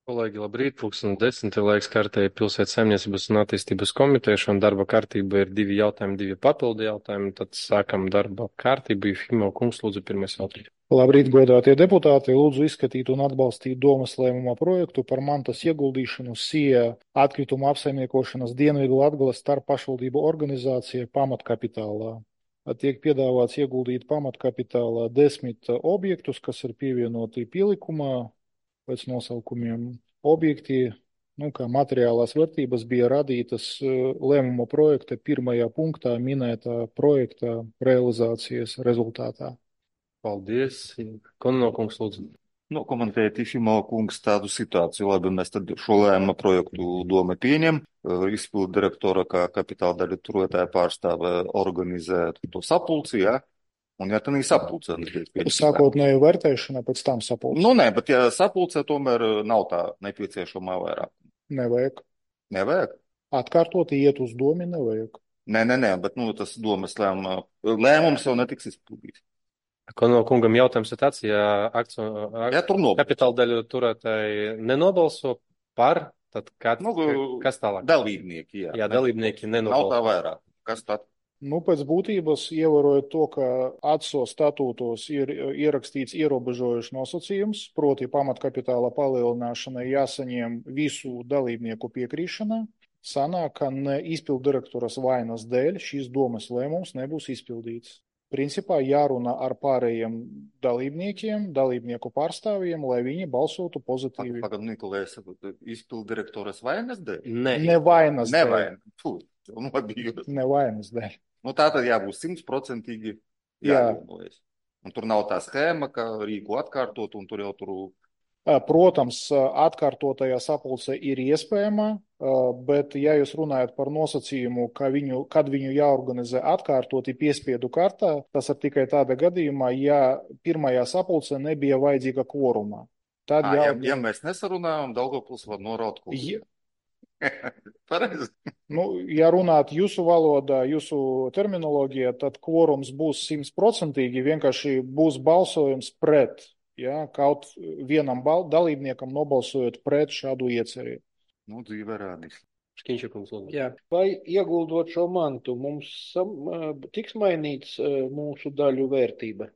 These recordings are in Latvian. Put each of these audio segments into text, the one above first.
Kolēģi, labrīt, 10:10 laiks kārtēji pilsētas saimniecības un attīstības komiteja. Šodien darba kārtība ir 2 jautājumi, 2 papildu jautājumi. Tad sākam darba kārtību. Fimo kungs, lūdzu, pirmais jautājums. Labrīt, godātie deputāti! Lūdzu izskatīt un atbalstīt domas lēmuma projektu par mantas ieguldīšanu SIE atkritumu apsaimniekošanas Dienvidu Latgales starppašvaldību organizācija pamatkapitālā. Tiek piedāvāts ieguldīt pamatkapitālā 10 objektus, kas ir pievienoti pielikumā pēc nosaukumiem. Objekti, kā materiālās vērtības, bija radītas lēmuma projekta pirmajā punktā minētā projekta realizācijas rezultātā. Paldies. Konno kungs, lūdzu. Komentēt Ifimo kungs tādu situāciju. Labi, mēs tad šo lēmuma projektu doma pieņem. Izpildu direktora kā kapitāla daļu turētāja pārstāve organizē to sapulci, ja? Un ja tā nī sapulce. Sākotnēju vērtēšana, pēc tam sapulce. Nē, bet ja sapulce tomēr nav tā nepieciešamā vairāk. Nevajag. Nevajag? Atkārtot iet uz domi nevajag. Nē, bet tas domas lēmums jau netiks izpildīts. Konno kungam jautājums ir tāds, ja kapitāla daļu turētāji nenobalso par, tad kas tālāk? Dalībnieki, jā. Jā, dalībnieki nenobalso. Nav tā vairāk. Kas tad? Pēc būtības, ievērojot to, ka ATSO statūtos ir ierakstīts ierobežojušs nosacījums, proti pamatkapitāla palielināšanai jāsaņem visu dalībnieku piekrīšana, sanāk, ka ne izpildu direktoras vainas dēļ šīs domas lēmums nebūs izpildīts. Principā jārunā ar pārējiem dalībniekiem, dalībnieku pārstāvjiem, lai viņi balsotu pozitīvi. Pagad, Nikolais, izpildu direktoras vainas dēļ? Nevainas dēļ. Nevainas dēļ. Tā tad jābūt 100% jāvienojas. Un tur nav tā schēma, ka rīku atkārtot, un tur jau tur... Protams, atkārtotajā sapulce ir iespējama, bet ja jūs runājat par nosacījumu, kad viņu jāorganizē atkārtoti piespiedu kārtā, tas ir tikai tāda gadījumā, ja pirmajā sapulcē nebija vajadzīga kvoruma. Ja mēs nesarunājam, Daugavpils var noraut kvorumu. Pareizi. Ja runāt jūsu valodā, jūsu terminoloģijā, tad kvorums būs 100%, vienkārši būs balsojums pret. Ja, kaut vienam dalībniekam nobalsojot pret šādu ieceri. Dzīve rādīs. Škiņšakums, lūdzu. Jā, vai ieguldot šo mantu, mums tiks mainīts mūsu daļu vērtība?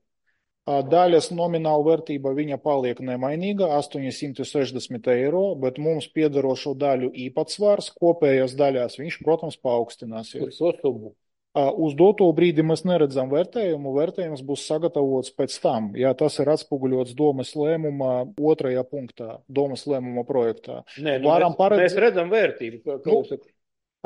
Daļas nomināla vērtība viņa paliek nemainīga, 860 eiro, bet mums piederošo daļu īpatsvars kopējās daļās, viņš, protams, paaugstināsies. Uz to summu? Uz doto brīdi mēs neredzam vērtējumu, vērtējums būs sagatavots pēc tam, ja tas ir atspoguļots domas lēmumā 2. punktā, domas lēmuma projektā. Mēs redzam vērtību.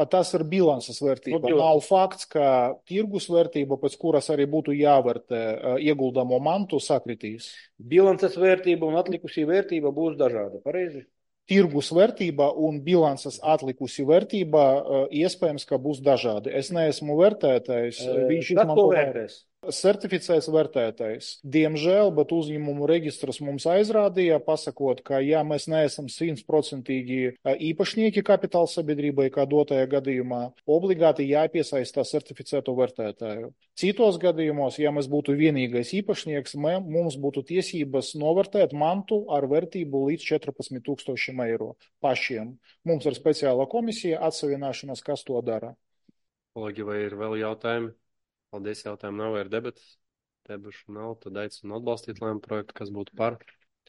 Tas ir bilances vērtība. Nav fakts, ka tirgus vērtība, pēc kuras arī būtu jāvērtē ieguldamo mantu, sakritīs. Bilances vērtība un atlikusī vērtība būs dažāda, pareizi? Tirgus vērtība un bilances atlikusi vērtība iespējams, ka būs dažādi. Es neesmu vērtētājs. Kas to vērtēs? Certificēts vērtētājs. Diemžēl, bet uzņēmumu registrs mums aizrādīja, pasakot, ka ja mēs neesam 100% īpašnieki kapitāla sabiedrībai, kā dotajā gadījumā, obligāti jāpiesaistā certificēto vērtētāju. Citos gadījumos, ja mēs būtu vienīgais īpašnieks, mums būtu tiesības novērtēt mantu ar vērtību līdz 14,000 eiro pašiem. Mums ir speciāla komisija atsavināšanas, kas to dara. Kolēģi, vai ir vēl jautājumi? Paldies, jautājumu nav, ir debatas. Debašu nav, tad aicinu atbalstīt lēmumu projektu, kas būtu par.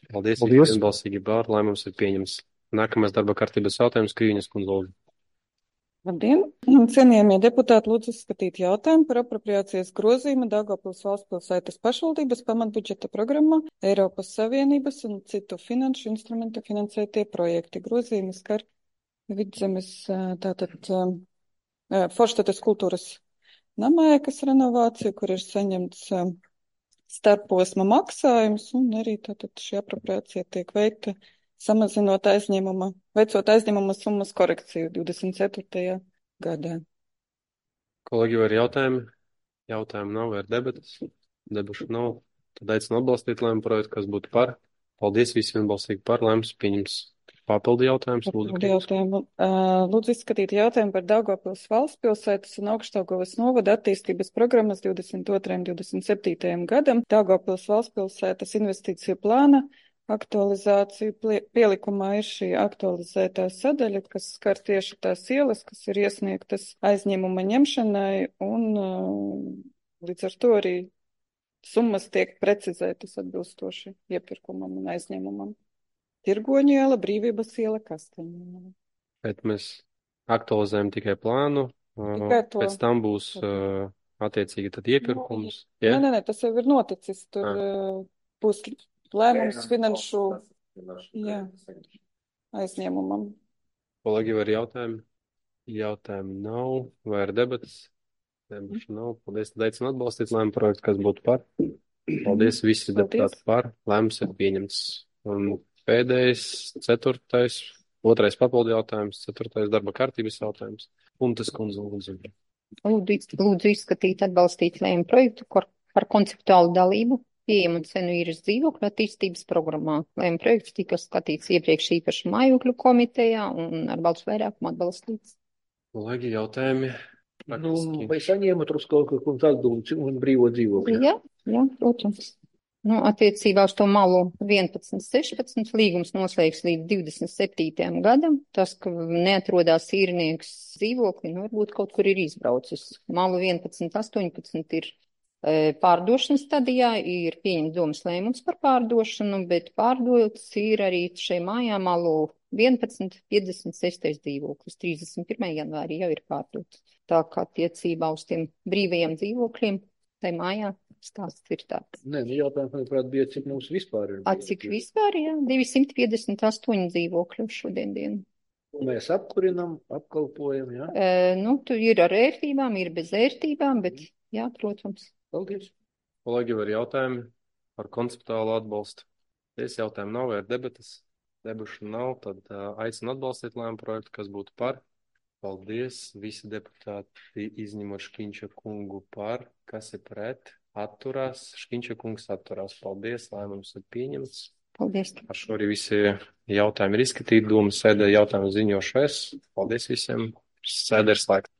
Paldies. Vienbalsīgi par, lēmums ir pieņems. Nākamais darba kārtības jautājums, Krīņas kundze, lūdzu. Labdien! Cienījamie deputāti, lūdzu izskatīt jautājumu par apropriācijas grozījumu Daugavpils valsts pilsētas pašvaldības pamatbudžeta programmā Eiropas Savienības un citu finanšu instrumentu finansētie projekti. Grozījumi skar Vidzemes, Forštates kultūras namā, kas renovācija, kur ir saņemts starposma maksājums, un arī tātad šī apropriācija tiek veikta samazinot veicot aizņēmuma summas korekciju 24. gadā. Kolēģi, vai ir jautājumi? Jautājumu nav, vai ir debatas? Debašu nav. Tad aicinu atbalstīt lēmumu projektu, kas būtu par. Paldies visiem balsīgi par, lēmums pieņems. Papildu jautājums, lūdzu. Lūdzu izskatīt jautājumu par Daugavpils valsts pilsētas un Augšdaugavas novada attīstības programmas 22. un 27. gadam. Daugavpils valsts pilsētas investīciju plāna aktualizāciju. Pielikumā ir šī aktualizētā sadaļa, kas skar tieši tās ielas, kas ir iesniegtas aizņēmuma ņemšanai, un līdz ar to arī summas tiek precizētas atbilstoši iepirkumam un aizņēmumam. Tirgoņu iela, Brīvības iela, Kasteņu. Bet mēs aktualizējam tikai plānu, Tikai to. pēc tam būs attiecīgi tad iepirkums. Ja? Nē, tas jau ir noticis. Tur būs lēmums finanšu aizņēmumam. Kolēģi, vai ir jautājumi? Jautājumu nav. Vai ir debatas? Debašu nav. Paldies, tad aicinu atbalstīt lēmumu projektu, kas būtu par. Paldies, visi deputāti par. Lēmums ir pieņemts. Un pēdējais, otrais papildu jautājums, 4. darba kārtības jautājums. Puntas kundze, lūdzu. Lūdzu izskatīt atbalstīt lēmumu projektu par konceptuālu dalību pieejamu un cenu īres dzīvokļu attīstības programmā. Lēmuma projekts tika skatīts iepriekš īpaši mājokļu komitejā un ar balsu vairākumu atbalstīts. Kolēģi, jautājumi? Vai saņēmat uz kaut kādu atbildi un brīvo dzīvokļu? Jā, protams. Attiecībā uz to malu 11.16 līgums noslēgs līdz 27. gadam. Tas, ka neatrodās īrnieks dzīvokli, varbūt kaut kur ir izbraucis. Malu 11.18 ir pārdošanas stadijā, ir pieņemts domas lēmums par pārdošanu, bet pārdots ir arī šai mājā malu 11.56 dzīvoklis. 31. janvārī jau ir pārdots. Tā kā attiecībā uz tiem brīvajiem dzīvokļiem, tai mājā stāsts ir tāds. Nē, jautājums, manuprāt, bija, cik mums vispār ir. Cik vispār, jā? 258 dzīvokļu šodien dienu. Mēs apkurinam, apkalpojam, jā? Tu ir ar ērtībām, ir bez ērtībām, bet jā, protams. Paldies. Kolēģi, vai ir jautājumi par konceptuālu atbalstu? Es jautājumu nav, vai ir debatas? Debašu nav, tad aicinu atbalstīt lēmumu projektu, kas būtu par. Paldies, visi deputāti izņemot Škiņša kungu par, kas ir pret, atturās, Škiņša kungs atturās. Paldies, lēmums ir pieņemts. Paldies. Ar šo arī visi jautājumi ir izskatīti, domas sēdē jautājumu ziņošu es. Paldies visiem, sēdē ir slēgta.